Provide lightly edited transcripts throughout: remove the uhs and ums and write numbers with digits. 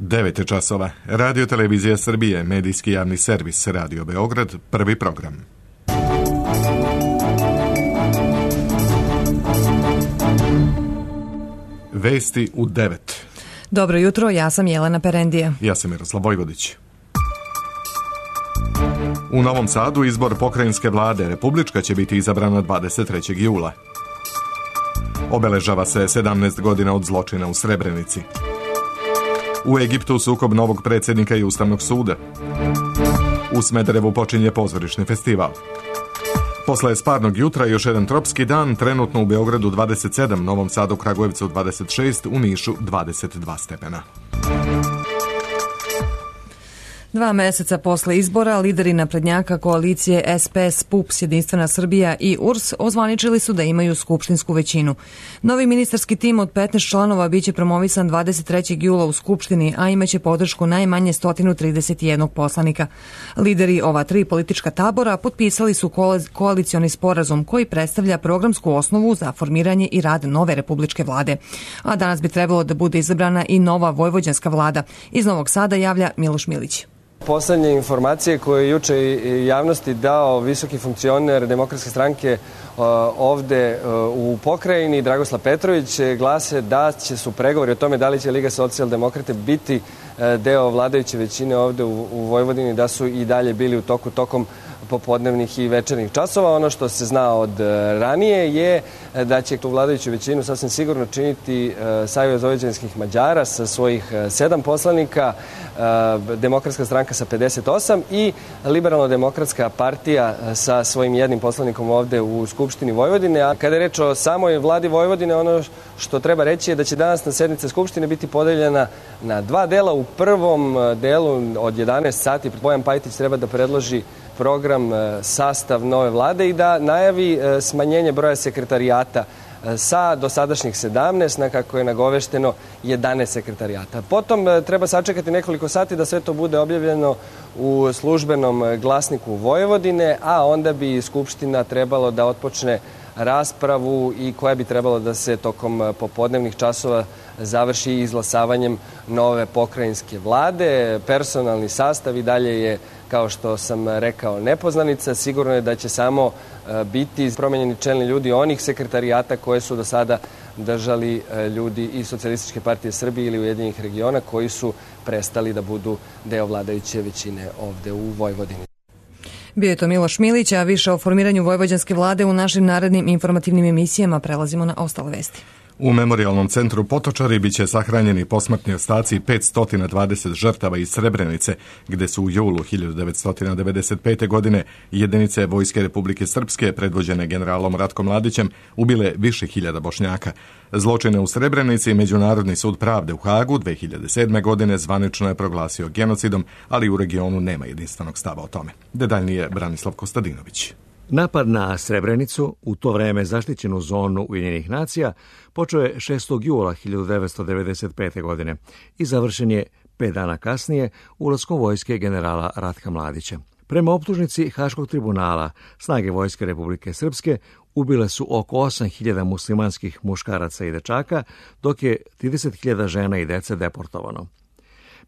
9 časova. Radio Televizija Srbije, medijski javni servis, Radio Beograd, prvi program. Vesti u 9. Dobro jutro, ja sam Jelena Perendija. Ja sam Miroslav Vojvodić. U Novom Sadu izbor pokrajinske vlade, republička će biti izabrana 23. jula. Obeležava se 17 godina od zločina u Srebrenici. U Egiptu sukob novog predsjednika i Ustavnog suda. U Smederevu počinje pozorišni festival. Posle sparnog jutra još jedan tropski dan, trenutno u Beogradu 27, Novom Sadu, Kragujevcu 26, u Nišu 22 stepena. 2 meseca posle izbora, lideri naprednjaka koalicije SPS, PUPS, Jedinstvena Srbija i URS ozvaničili su da imaju skupštinsku većinu. Novi ministarski tim od 15 članova biće promovisan 23. jula u Skupštini, a imaće podršku najmanje 131 poslanika. Lideri ova 3 politička tabora potpisali su koalicioni sporazum koji predstavlja programsku osnovu za formiranje i rad nove republičke vlade. A danas bi trebalo da bude izabrana i nova vojvođanska vlada. Iz Novog Sada javlja Miloš Milić. Poslednje informacije koje je juče javnosti dao visoki funkcioner Demokratske stranke ovde u pokrajini, Dragoslav Petrović, glase da će su pregovori o tome da li će Liga socijaldemokrate biti deo vladajuće većine ovde u Vojvodini, da su i dalje bili u tokom popodnevnih i večernjih časova. Ono što se zna od ranije je da će tu vladajuću većinu sasvim sigurno činiti Savez vojvođanskih Mađara sa svojih 7 poslanika, Demokratska stranka sa 58 i Liberalno-demokratska partija sa svojim 1 poslanikom ovde u Skupštini Vojvodine. A kada je reč o samoj vladi Vojvodine, ono što treba reći je da će danas na sednice Skupštine biti podeljena na 2 dela. U prvom delu od 11 sati Bojan Pajtić treba da predloži program, sastav nove vlade i da najavi smanjenje broja sekretarijata sa dosadašnjih 17 na, kako je nagovešteno, 11 sekretarijata. Potom treba sačekati nekoliko sati da sve to bude objavljeno u službenom glasniku Vojvodine, a onda bi Skupština trebalo da otpočne raspravu i koja bi trebalo da se tokom popodnevnih časova završi izglasavanjem nove pokrajinske vlade. Personalni sastav i dalje je, kao što sam rekao, nepoznanica. Sigurno je da će samo biti promenjeni čelni ljudi onih sekretarijata koje su do sada držali ljudi iz Socijalističke partije Srbije ili Ujedinjenih regiona koji su prestali da budu deo vladajuće većine ovde u Vojvodini. Bio je to Miloš Milić, a više o formiranju vojvođanske vlade u našim narednim informativnim emisijama. Prelazimo na ostale vesti. U Memorijalnom centru Potočari biće sahranjeni posmrtni ostaci 520 žrtava iz Srebrenice, gde su u julu 1995. godine jedinice Vojske Republike Srpske, predvođene generalom Ratkom Mladićem, ubile više hiljada Bošnjaka. Zločine u Srebrenici Međunarodni sud pravde u Hagu 2007. godine zvanično je proglasio genocidom, ali u regionu nema jedinstvenog stava o tome. Detaljnije Branislav Kostadinović. Napad na Srebrenicu, u to vreme zaštićenu zonu Ujedinjenih nacija, počeo je 6. jula 1995. godine i završen je 5 dana kasnije ulaskom vojske generala Ratka Mladića. Prema optužnici Haškog tribunala, snage Vojske Republike Srpske ubile su oko 8.000 muslimanskih muškaraca i dečaka, dok je 30.000 žena i dece deportovano.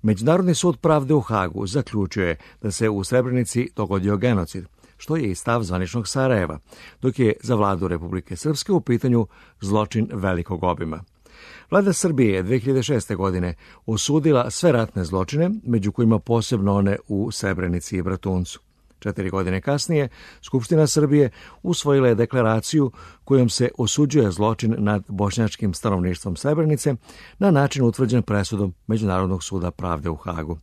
Međunarodni sud pravde u Hagu zaključio je da se u Srebrenici dogodio genocid, što je i stav zvaničnog Sarajeva, dok je za vladu Republike Srpske u pitanju zločin velikog obima. Vlada Srbije je 2006. godine osudila sve ratne zločine, među kojima posebno one u Srebrenici i Bratuncu. 4 godine kasnije, Skupština Srbije usvojila je deklaraciju kojom se osuđuje zločin nad bošnjačkim stanovništvom Srebrenice na način utvrđen presudom Međunarodnog suda pravde u Hagu.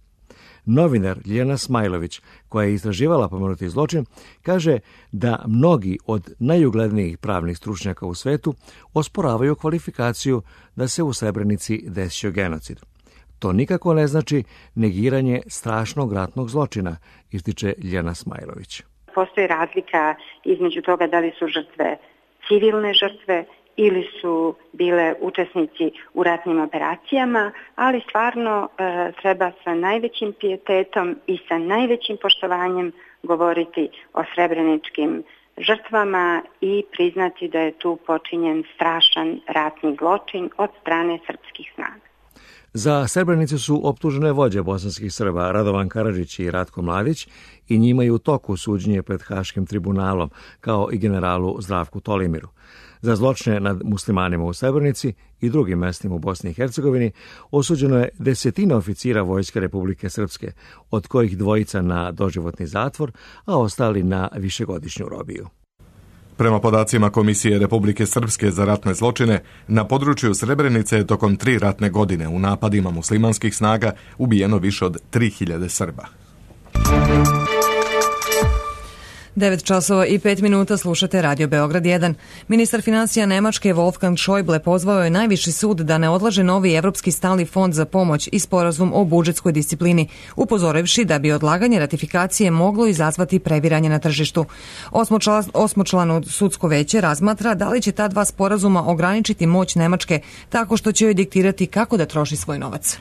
Novinar Ljiljana Smajlović, koja je istraživala pomenuti zločin, kaže da mnogi od najuglednijih pravnih stručnjaka u svetu osporavaju kvalifikaciju da se u Srebrenici desio genocid. To nikako ne znači negiranje strašnog ratnog zločina, ističe Ljiljana Smajlović. Postoji razlika između toga da li su žrtve civilne žrtve ili su bile učesnici u ratnim operacijama, ali stvarno treba sa najvećim pijetetom i sa najvećim poštovanjem govoriti o srebreničkim žrtvama i priznati da je tu počinjen strašan ratni zločin od strane srpskih snaga. Za Srebrenicu su optužene vođe bosanskih Srba Radovan Karadžić i Ratko Mladić i njima je u toku suđenje pred Haškim tribunalom, kao i generalu Zdravku Tolimiru. Za zločine nad muslimanima u Srebrenici i drugim mestima u Bosni i Hercegovini osuđeno je 10 oficira Vojske Republike Srpske, od kojih 2 na doživotni zatvor, a ostali na višegodišnju robiju. Prema podacima Komisije Republike Srpske za ratne zločine, na području Srebrenice je tokom 3 ratne godine u napadima muslimanskih snaga ubijeno više od 3000 Srba. 9:05 slušate Radio Beograd 1. Ministar finansija Nemačke Wolfgang Schäuble pozvao je najviši sud da ne odlaže novi Evropski stalni fond za pomoć i sporazum o budžetskoj disciplini, upozorivši da bi odlaganje ratifikacije moglo izazvati previranje na tržištu. Osmočlano sudsko veće razmatra da li će ta 2 sporazuma ograničiti moć Nemačke tako što će joj diktirati kako da troši svoj novac.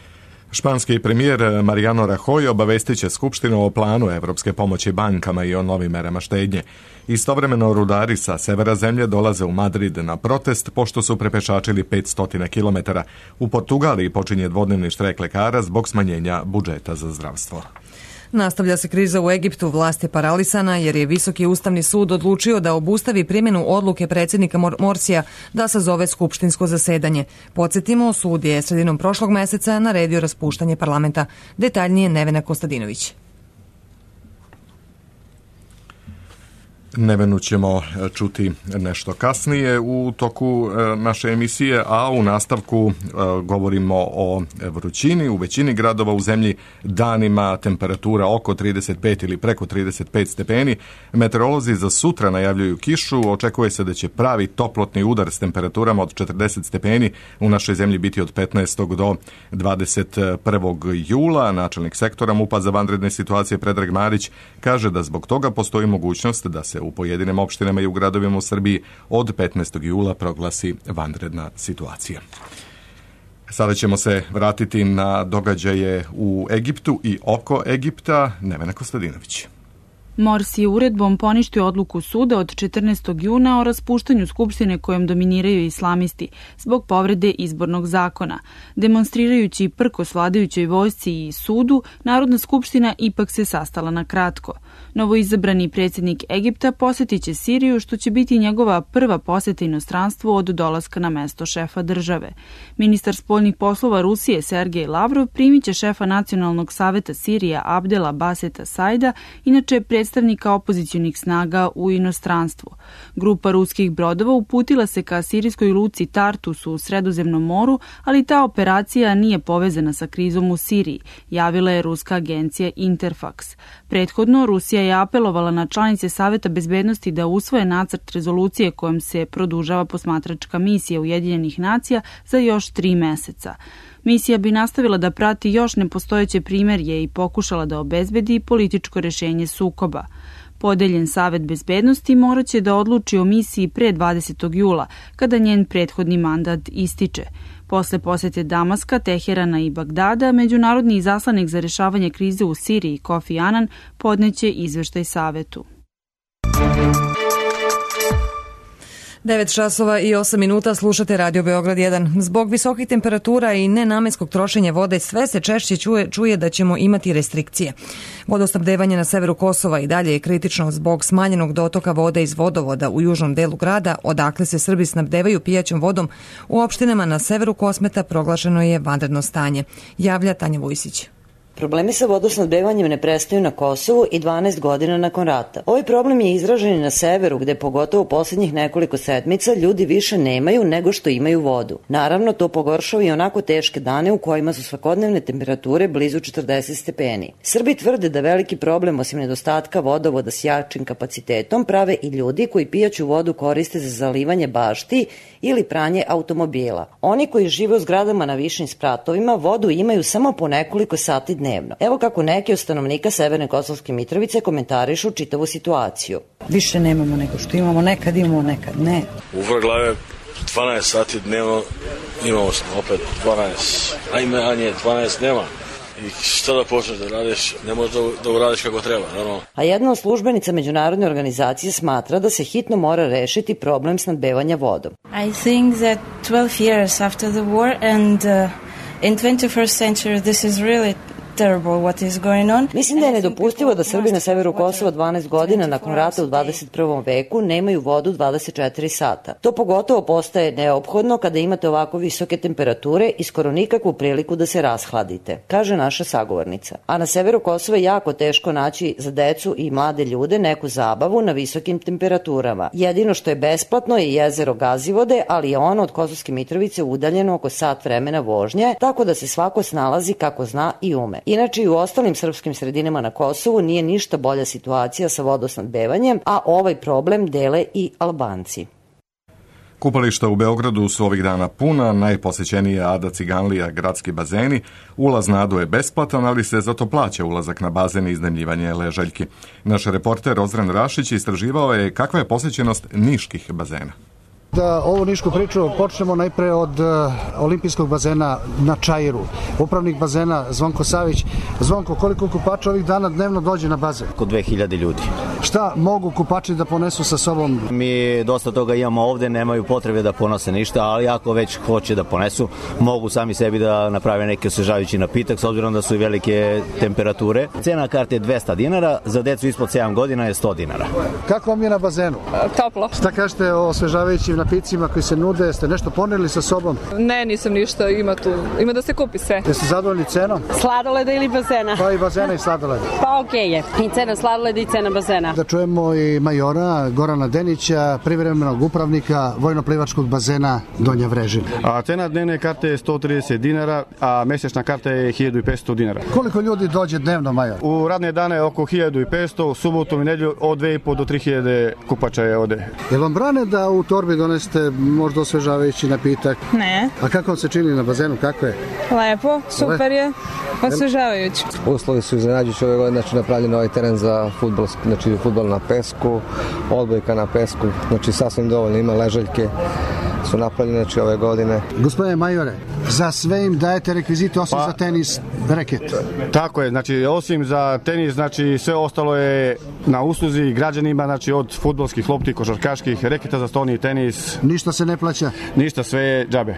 Španski premijer Mariano Rajoy obavestit će Skupštinu o planu evropske pomoći bankama i o novim merama štednje. Istovremeno rudari sa severa zemlje dolaze u Madrid na protest pošto su prepešačili 500 km. U Portugaliji počinje dvodnevni štrajk lekara zbog smanjenja budžeta za zdravstvo. Nastavlja se kriza u Egiptu, vlast je paralisana jer je Visoki ustavni sud odlučio da obustavi primjenu odluke predsjednika Morsija da sazove skupštinsko zasedanje. Podsjetimo, sud je sredinom prošlog meseca naredio raspuštanje parlamenta. Detaljnije Nevena Kostadinović. Nevenu ćemo čuti nešto kasnije u toku naše emisije, a u nastavku govorimo o vrućini. U većini gradova u zemlji danima temperatura oko 35 ili preko 35 stepeni. Meteorolozi za sutra najavljuju kišu. Očekuje se da će pravi toplotni udar s temperaturama od 40 stepeni u našoj zemlji biti od 15. do 21. jula. Načelnik sektora MUP-a za vanredne situacije Predrag Marić kaže da zbog toga postoji mogućnost da se u pojedinim opštinama i u gradovima u Srbiji od 15. jula proglasi vanredna situacija. Sada ćemo se vratiti na događaje u Egiptu i oko Egipta. Nevena Kostadinović. Morsi je uredbom poništio odluku suda od 14. juna o raspuštanju skupštine kojom dominiraju islamisti zbog povrede izbornog zakona. Demonstrirajući prkos vladajućoj vojsci i sudu, Narodna skupština ipak se sastala na kratko. Novoizabrani predsjednik Egipta posjetit će Siriju, što će biti njegova prva posjeta inostranstvu od dolaska na mesto šefa države. Ministar spoljnih poslova Rusije Sergej Lavrov primit će šefa Nacionalnog saveta Sirija Abdela Baseta Saida, inače predstavnika opozicionih snaga u inostranstvu. Grupa ruskih brodova uputila se ka sirijskoj luci Tartus u Sredozemnom moru, ali ta operacija nije povezana sa krizom u Siriji, javila je ruska agencija Interfax. Prethodno, Rusija je apelovala na članice Saveta bezbednosti da usvoje nacrt rezolucije kojom se produžava posmatračka misija Ujedinjenih nacija za još 3 meseca. Misija bi nastavila da prati još nepostojeće primirje i pokušala da obezbedi političko rešenje sukoba. Podeljen Savet bezbednosti morat će da odluči o misiji pre 20. jula, kada njen prethodni mandat ističe. Posle posete Damaska, Teherana i Bagdada, međunarodni izaslanik za rešavanje krize u Siriji Kofi Annan podneće izveštaj Savetu. 9:08 slušate Radio Beograd 1. Zbog visokih temperatura i nenamenskog trošenja vode sve se češće čuje da ćemo imati restrikcije. Vodosnabdevanje na severu Kosova i dalje je kritično zbog smanjenog dotoka vode iz vodovoda u južnom delu grada, odakle se Srbi snabdevaju pijaćom vodom. U opštinama na severu Kosmeta proglašeno je vanredno stanje. Javlja Tanja Vujsić. Problemi sa vodosnabdevanjem ne prestaju na Kosovu i 12 godina nakon rata. Ovaj problem je izražen i na severu, gde pogotovo u posljednjih nekoliko sedmica ljudi više nemaju nego što imaju vodu. Naravno, to pogoršava i onako teške dane u kojima su svakodnevne temperature blizu 40 stepeni. Srbi tvrde da veliki problem, osim nedostatka vodovoda s jačim kapacitetom, prave i ljudi koji pijaću vodu koriste za zalivanje bašti ili pranje automobila. Oni koji žive u zgradama na višim spratovima vodu imaju samo po nekoliko sati dnevno. Evo kako neki od stanovnika Severne Kosovske Mitrovice komentarišu čitavu situaciju. Više nemamo nego što imamo, nekad imamo, nekad ne. U Vrglave 12 sati dnevno imamo opet 12, a nije 12 nema. I šta da počneš da radiš, ne možeš da uradiš kako treba, naravno. A jedna od službenica međunarodne organizacije smatra da se hitno mora rešiti problem snabdevanja vodom. I think that 12 years after the war and In 21st century this is really terrible what is going on. Mislim da je nedopustivo da Srbi na severu Kosova 12 godina nakon rata u 21. veku nemaju vodu 24 sata. To pogotovo postaje neophodno kada imate ovako visoke temperature i skoro nikakvu priliku da se rashladite, kaže naša sagovornica. A na severu Kosova je jako teško naći za decu i mlade ljude neku zabavu na visokim temperaturama. Jedino što je besplatno je jezero Gazivode, ali je ono od Kosovske Mitrovice udaljeno oko sat vremena vožnje, tako da se svako snalazi kako zna i ume. Inače i u ostalim srpskim sredinama na Kosovu nije ništa bolja situacija sa vodosnabdevanjem, a ovaj problem dele i Albanci. Kupališta u Beogradu su ovih dana puna, najposećenije Ada Ciganlija gradski bazeni. Ulaz na Adu je besplatan, ali se zato plaća ulazak na bazen i iznajmljivanje ležaljki. Naš reporter Ozren Rašić istraživao je kakva je posjećenost niških bazena. Da ovu nišku priču počnemo najpre od olimpijskog bazena na Čairu. Upravnik bazena Zvonko Savić. Zvonko, koliko kupača ovih dana dnevno dođe na bazen? Oko 2000 ljudi. Šta mogu kupači da ponesu sa sobom? Mi dosta toga imamo ovde, nemaju potrebe da ponose ništa, ali ako već hoće da ponesu, mogu sami sebi da naprave neki osvežavajući napitak, s obzirom da su i velike temperature. Cena karte je 200 dinara, za decu ispod 7 godina je 100 dinara. Kako vam je na bazenu? Toplo. Šta kažete o osvežavajućim napicima koji se nude? Ste nešto poneli sa sobom? Ne, nisam ništa, ima da se kupi sve. Jeste zadovoljni cenom? Sladoleda ili bazena? Pa i bazena i sladoleda. Pa okej je, i cena sladoleda i cena bazena. Da čujemo i majora Gorana Denića, privremenog upravnika vojno-plivačkog bazena Donja Vrežina. A cena dnevne karte je 130 dinara, a mesečna karta je 1500 dinara. Koliko ljudi dođe dnevno, major? U radne dane oko 1500, u subotu i nedelju od 2,5 do 3000 kupača je ovde. Jel vam brane da u torbi donesete možda osvežavajući napitak? Ne. A kako vam se čini na bazenu, kako je? Lepo, super je, osvežavajući. Uslovi su iznenađujući ove godine, znači napravljen ovaj teren za fudbal, znači fudbal na pesku, odbojka na pesku, znači sasvim dovoljno, ima ležaljke su napravljene znači ove godine. Gospodine majore, za sve im dajete rekvizite osim za tenis reket? Tako je, znači osim za tenis, znači sve ostalo je na usluzi građanima, znači od fudbalskih lopti, košarkaških, reketa za stolni tenis. Ništa se ne plaća? Ništa, sve je džabe.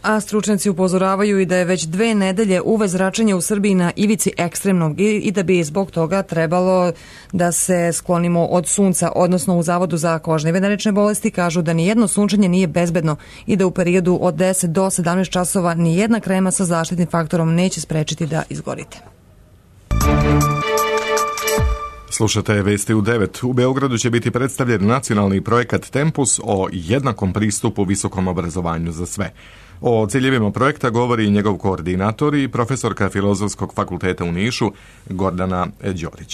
A stručnjaci upozoravaju i da je već 2 nedelje UV zračenje u Srbiji na ivici ekstremnog i da bi zbog toga trebalo da se sklonimo od sunca, odnosno u Zavodu za kožne i venerične bolesti kažu da nijedno sunčanje nije bezbedno i da u periodu od 10 do 17 časova nijedna krema sa zaštitnim faktorom neće sprečiti da izgorite. Slušate Vesti u 9. U Beogradu će biti predstavljen nacionalni projekat Tempus o jednakom pristupu visokom obrazovanju za sve. O ciljevima projekta govori njegov koordinator i profesorka Filozofskog fakulteta u Nišu, Gordana Đorić.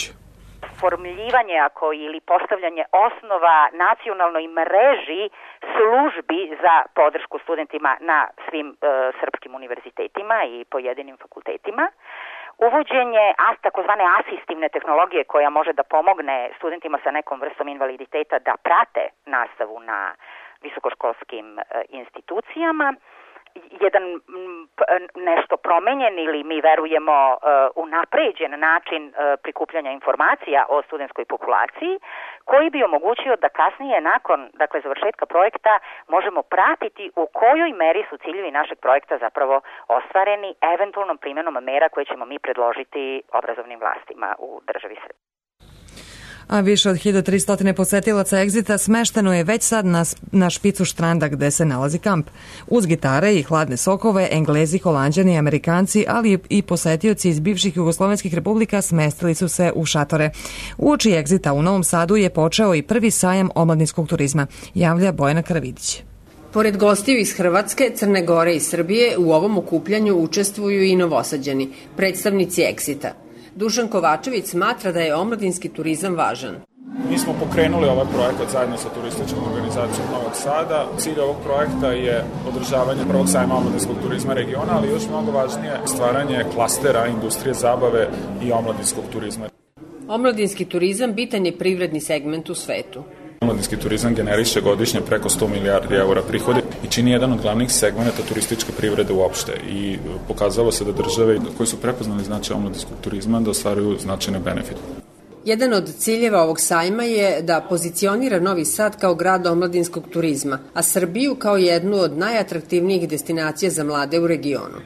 Formljivanje ili postavljanje osnova nacionalnoj mreži službi za podršku studentima na svim srpskim univerzitetima i pojedinim fakultetima. Uvođenje takozvane asistivne tehnologije koja može da pomogne studentima sa nekom vrstom invaliditeta da prate nastavu na visokoškolskim institucijama. Jedan nešto promenjen ili mi verujemo unapređen način prikupljanja informacija o studentskoj populaciji koji bi omogućio da kasnije nakon završetka projekta možemo pratiti u kojoj meri su ciljevi našeg projekta zapravo ostvareni eventualnom primjenom mera koje ćemo mi predložiti obrazovnim vlastima u državi Srbije. A više od 1300 posetilaca Exita smešteno je već sad na špicu štranda gde se nalazi kamp. Uz gitare i hladne sokove, Englezi, Holanđani, Amerikanci, ali i posetioci iz bivših jugoslovenskih republika smestili su se u šatore. Uoči Exita u Novom Sadu je počeo i prvi sajam omladinskog turizma, javlja Bojana Karavidić. Pored gostiju iz Hrvatske, Crne Gore i Srbije, u ovom okupljanju učestvuju i Novosađani, predstavnici Exita. Dušan Kovačević smatra da je omladinski turizam važan. Mi smo pokrenuli ovaj projekat zajedno sa turističkom organizacijom Novog Sada. Cilj ovog projekta je održavanje prvog sajma omladinskog turizma regiona, ali još mnogo važnije stvaranje klastera industrije zabave i omladinskog turizma. Omladinski turizam bitan je privredni segment u svetu. Omladinski turizam generiše godišnje preko 100 milijardi eura prihode i čini jedan od glavnih segmenta turističke privrede uopšte i pokazalo se da države koji su prepoznali značaj omladinskog turizma da ostvaruju značajne benefite. Jedan od ciljeva ovog sajma je da pozicionira Novi Sad kao grad omladinskog turizma, a Srbiju kao jednu od najatraktivnijih destinacija za mlade u regionu.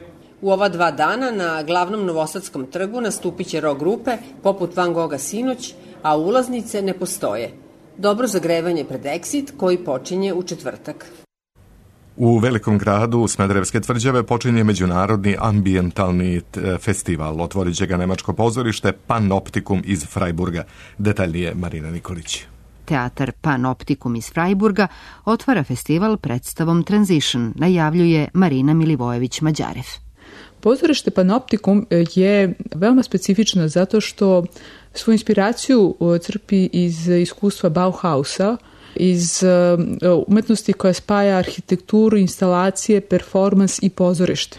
U ova 2 dana na glavnom Novosadskom trgu nastupit će rock grupe poput Van Gogha sinoć, a ulaznice ne postoje. Dobro zagrevanje pred Exit koji počinje u četvrtak. U velikom gradu Smederevske tvrđave počinje međunarodni ambijentalni festival. Otvorit će ga nemačko pozorište Panoptikum iz Freiburga. Detaljnije Marina Nikolić. Teatar Panoptikum iz Freiburga otvara festival predstavom Transition, najavljuje Marina Milivojević-Mađarev. Pozorište Panoptikum je veoma specifično zato što svoju inspiraciju crpi iz iskustva Bauhausa, iz umetnosti koja spaja arhitekturu, instalacije, performans i pozorište.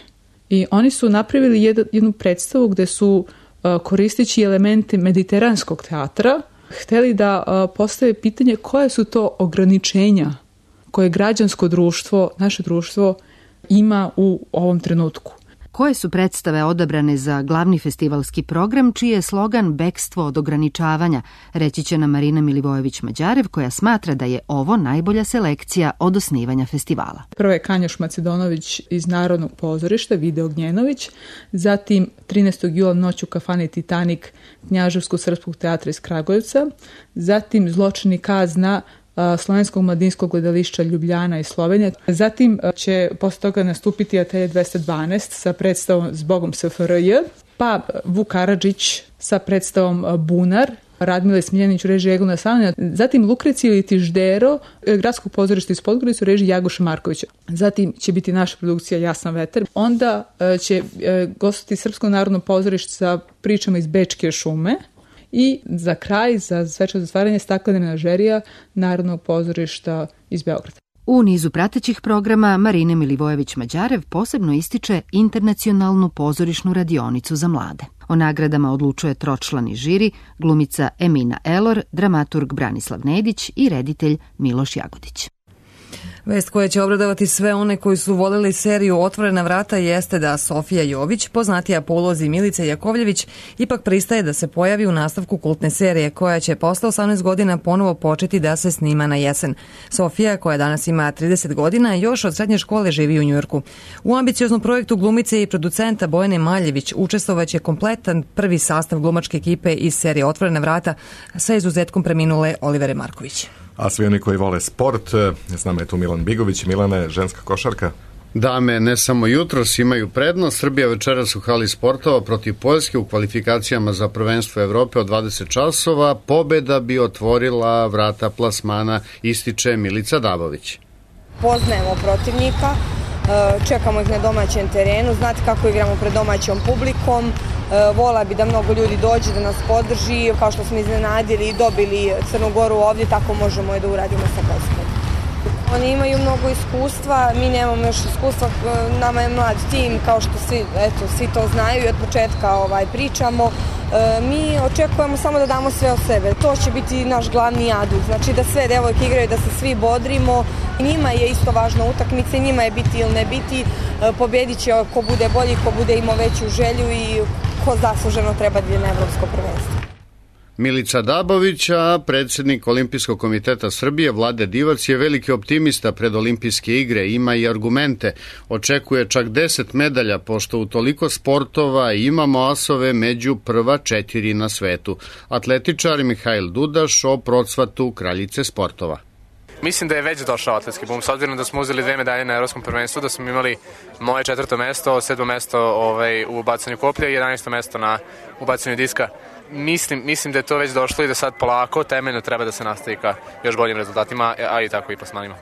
I oni su napravili jednu predstavu gde su, koristeći elemente mediteranskog teatra, hteli da postave pitanje koje su to ograničenja koje građansko društvo, naše društvo, ima u ovom trenutku. Koje su predstave odabrane za glavni festivalski program, čiji je slogan Bekstvo od ograničavanja, reći će nam Marina Milivojević-Mađarev, koja smatra da je ovo najbolja selekcija od osnivanja festivala. Prvo je Kanjoš Macedonović iz Narodnog pozorišta, Vide Ognjenović, zatim 13. jula Noć u kafani Titanik Knjaževsko-srpskog teatra iz Kragujevca, zatim Zločini kazna Slovenskog mladinskog gledališća Ljubljana i Slovenije. Zatim će posle toga nastupiti Atelje 212 sa predstavom Zbogom SFRJ, pa Vuk Karadžić sa predstavom Bunar, Radmile Smiljanić u režiji Egona Savanja, zatim Lukrecija ili Tiždero, Gradskog pozorišta iz Podgorice u režiji Jagoša Markovića. Zatim će biti naša produkcija Jasan vetar. Onda će gostiti Srpsko narodno pozorište sa pričama iz Bečke šume. I za kraj, za svečano zatvaranje, Staklena menažerija Narodnog pozorišta iz Beograda. U nizu pratećih programa Marine Milivojević-Mađarev posebno ističe internacionalnu pozorišnu radionicu za mlade. O nagradama odlučuje tročlani žiri, glumica Emina Elor, dramaturg Branislav Nedić i reditelj Miloš Jagodić. Vest koja će obradovati sve one koji su voleli seriju Otvorena vrata jeste da Sofija Jović, poznatija po ulozi Milice Jakovljević, ipak pristaje da se pojavi u nastavku kultne serije koja će posle 18 godina ponovo početi da se snima na jesen. Sofija, koja danas ima 30 godina, još od srednje škole živi u Njujorku. U ambicioznom projektu glumice i producenta Bojane Maljević učestvovaće kompletan prvi sastav glumačke ekipe iz serije Otvorena vrata sa izuzetkom preminule Olivere Marković. A svi oni koji vole sport, s nama je tu Milan Bigović. Milane, ženska košarka? Dame, ne samo jutros imaju prednost. Srbija večeras u hali sportova protiv Poljske u kvalifikacijama za prvenstvo Evrope od 20 časova. Pobeda bi otvorila vrata plasmana, ističe Milica Dabović. Poznajemo protivnika, čekamo ih na domaćem terenu, znate kako igramo pred domaćom publikom. Vola bi da mnogo ljudi dođe da nas podrži, kao što smo iznenadili i dobili Crnu Goru ovdje, tako možemo i da uradimo sa Poljskom. Oni imaju mnogo iskustva, mi nemamo još iskustva, nama je mlad tim, kao što svi to znaju i od početka pričamo. Mi očekujemo samo da damo sve od sebe, to će biti naš glavni adut, znači da sve devojke igraju, da se svi bodrimo. Njima je isto važna utakmica, njima je biti ili ne biti, pobjedit će ko bude bolji, ko bude imao veću želju i ko zasluženo treba da je na evropsko prvenstvo. Milica Dabović, a predsjednik Olimpijskog komiteta Srbije Vlade Divac je veliki optimista pred olimpijske igre, ima i argumente. Očekuje čak 10 medalja, pošto u toliko sportova imamo asove među prva 4 na svetu. Atletičar Mihajl Dudaš o procvatu kraljice sportova. Mislim da je već došao atletski bum, s obzirom da smo uzeli 2 medalje na evropskom prvenstvu, da smo imali moje 4. mesto, 7. mesto u bacanju koplja i 11. mesto u bacanju diska. Mislim da je to već došlo i da sad polako temeljno treba da se nastavi ka još boljim rezultatima, a i tako i plasmanima.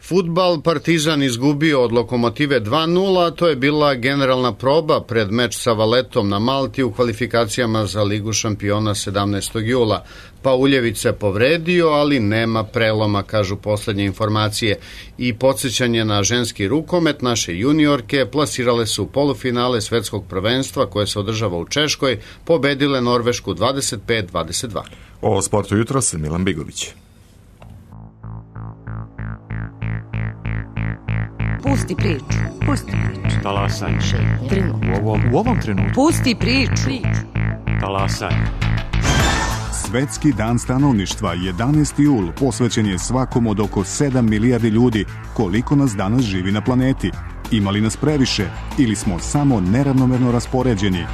Fudbal, Partizan izgubio od Lokomotive 2-0, to je bila generalna proba pred meč sa Valetom na Malti u kvalifikacijama za Ligu šampiona 17. jula. Pauljević se povredio, ali nema preloma, kažu poslednje informacije. I podsjećanje na ženski rukomet, naše juniorke plasirale su u polufinale svetskog prvenstva koje se održava u Češkoj, pobedile Norvešku 25-22. O sportu jutros Milan Bigović. Pusti priču. Talasaj. U ovom trenutku. Pusti priču. Talasaj. Svetski dan stanovništva 11. jul posvećen je svakom od oko 7 milijardi ljudi koliko nas danas živi na planeti. Ima li nas previše ili smo samo neravnomerno raspoređeni?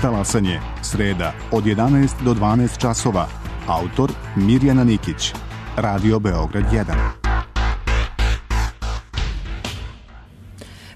Talasanje, sreda, od 11 do 12 časova. Autor Mirjana Nikić. Radio Beograd 1.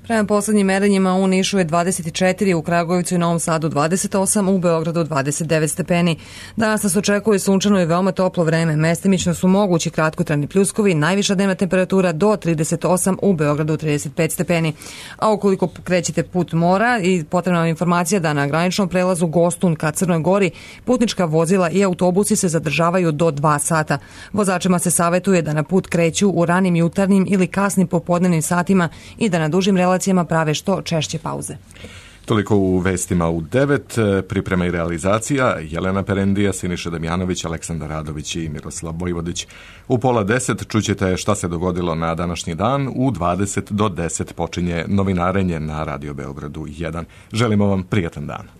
Prema poslednjim merenjima u Nišu je 24, u Kragujevcu i Novom Sadu 28, u Beogradu 29 stepeni. Danas nas očekuje sunčano i veoma toplo vreme. Mestimično su mogući kratkotrajni pljuskovi, najviša dnevna temperatura do 38, u Beogradu 35 stepeni. A ukoliko krećete put mora i potrebna vam informacija da na graničnom prelazu Gostun ka Crnoj Gori putnička vozila i autobusi se zadržavaju do 2 sata. Vozačima se savetuje da na put kreću u ranim jutarnjim ili kasnim popodnevnim satima i da na dužim relacijama prave što češće pauze. Toliko u vestima u 9, priprema i realizacija Jelena Perendija, Siniša Damjanović, Aleksandar Radović i Miroslav Vojvodić. U 9:30 čućete šta se dogodilo na današnji dan, u 20 do 10 počinje novinarenje na Radio Beogradu 1. Želimo vam prijatan dan.